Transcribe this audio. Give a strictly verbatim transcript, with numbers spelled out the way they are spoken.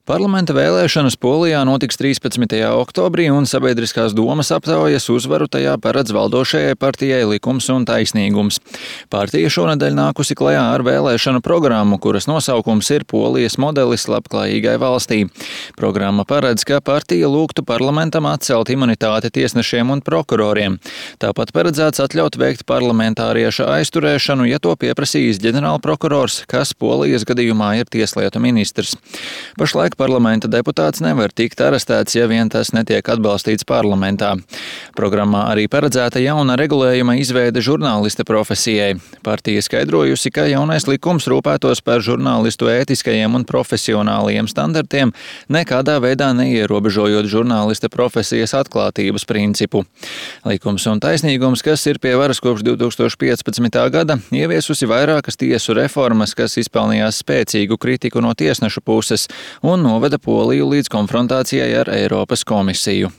Parlamenta vēlēšanas Polijā notiks trīspadsmitajā oktobrī, un sabiedriskās domas aptaujas uzvaru tajā paredz valdošajai partijai Likums un taisnīgums. Partija šonedēļ nākusi klajā ar vēlēšanu programmu, kuras nosaukums ir Polijas modelis labklājīgai valstī. Programma paredz, ka partija lūgtu parlamentam atcelt imunitāti tiesnešiem un prokuroriem. Tāpat paredzēts atļaut veikt parlamentārieša aizturēšanu, ja to pieprasījis ģenerālprokurors, kas Polijas gadījumā ir tieslietu ministrs. Pašlaik parlamenta deputāts nevar tikt arestēts, ja vien tas netiek atbalstīts parlamentā. Programmā arī paredzēta jauna regulējuma izveide žurnālista profesijai. Partija skaidrojusi, ka jaunais likums rūpētos par žurnālistu ētiskajiem un profesionālajiem standartiem, nekādā veidā neierobežojot žurnālista profesijas atklātības principu. Likums un taisnīgums, kas ir pie varas kopš divi tūkstoši piecpadsmitā gada, ieviesusi vairākas tiesu reformas, kas izpelnījās spēcīgu kritiku no tiesnešu puses un noveda Poliju līdz konfrontācijai ar Eiropas komisiju.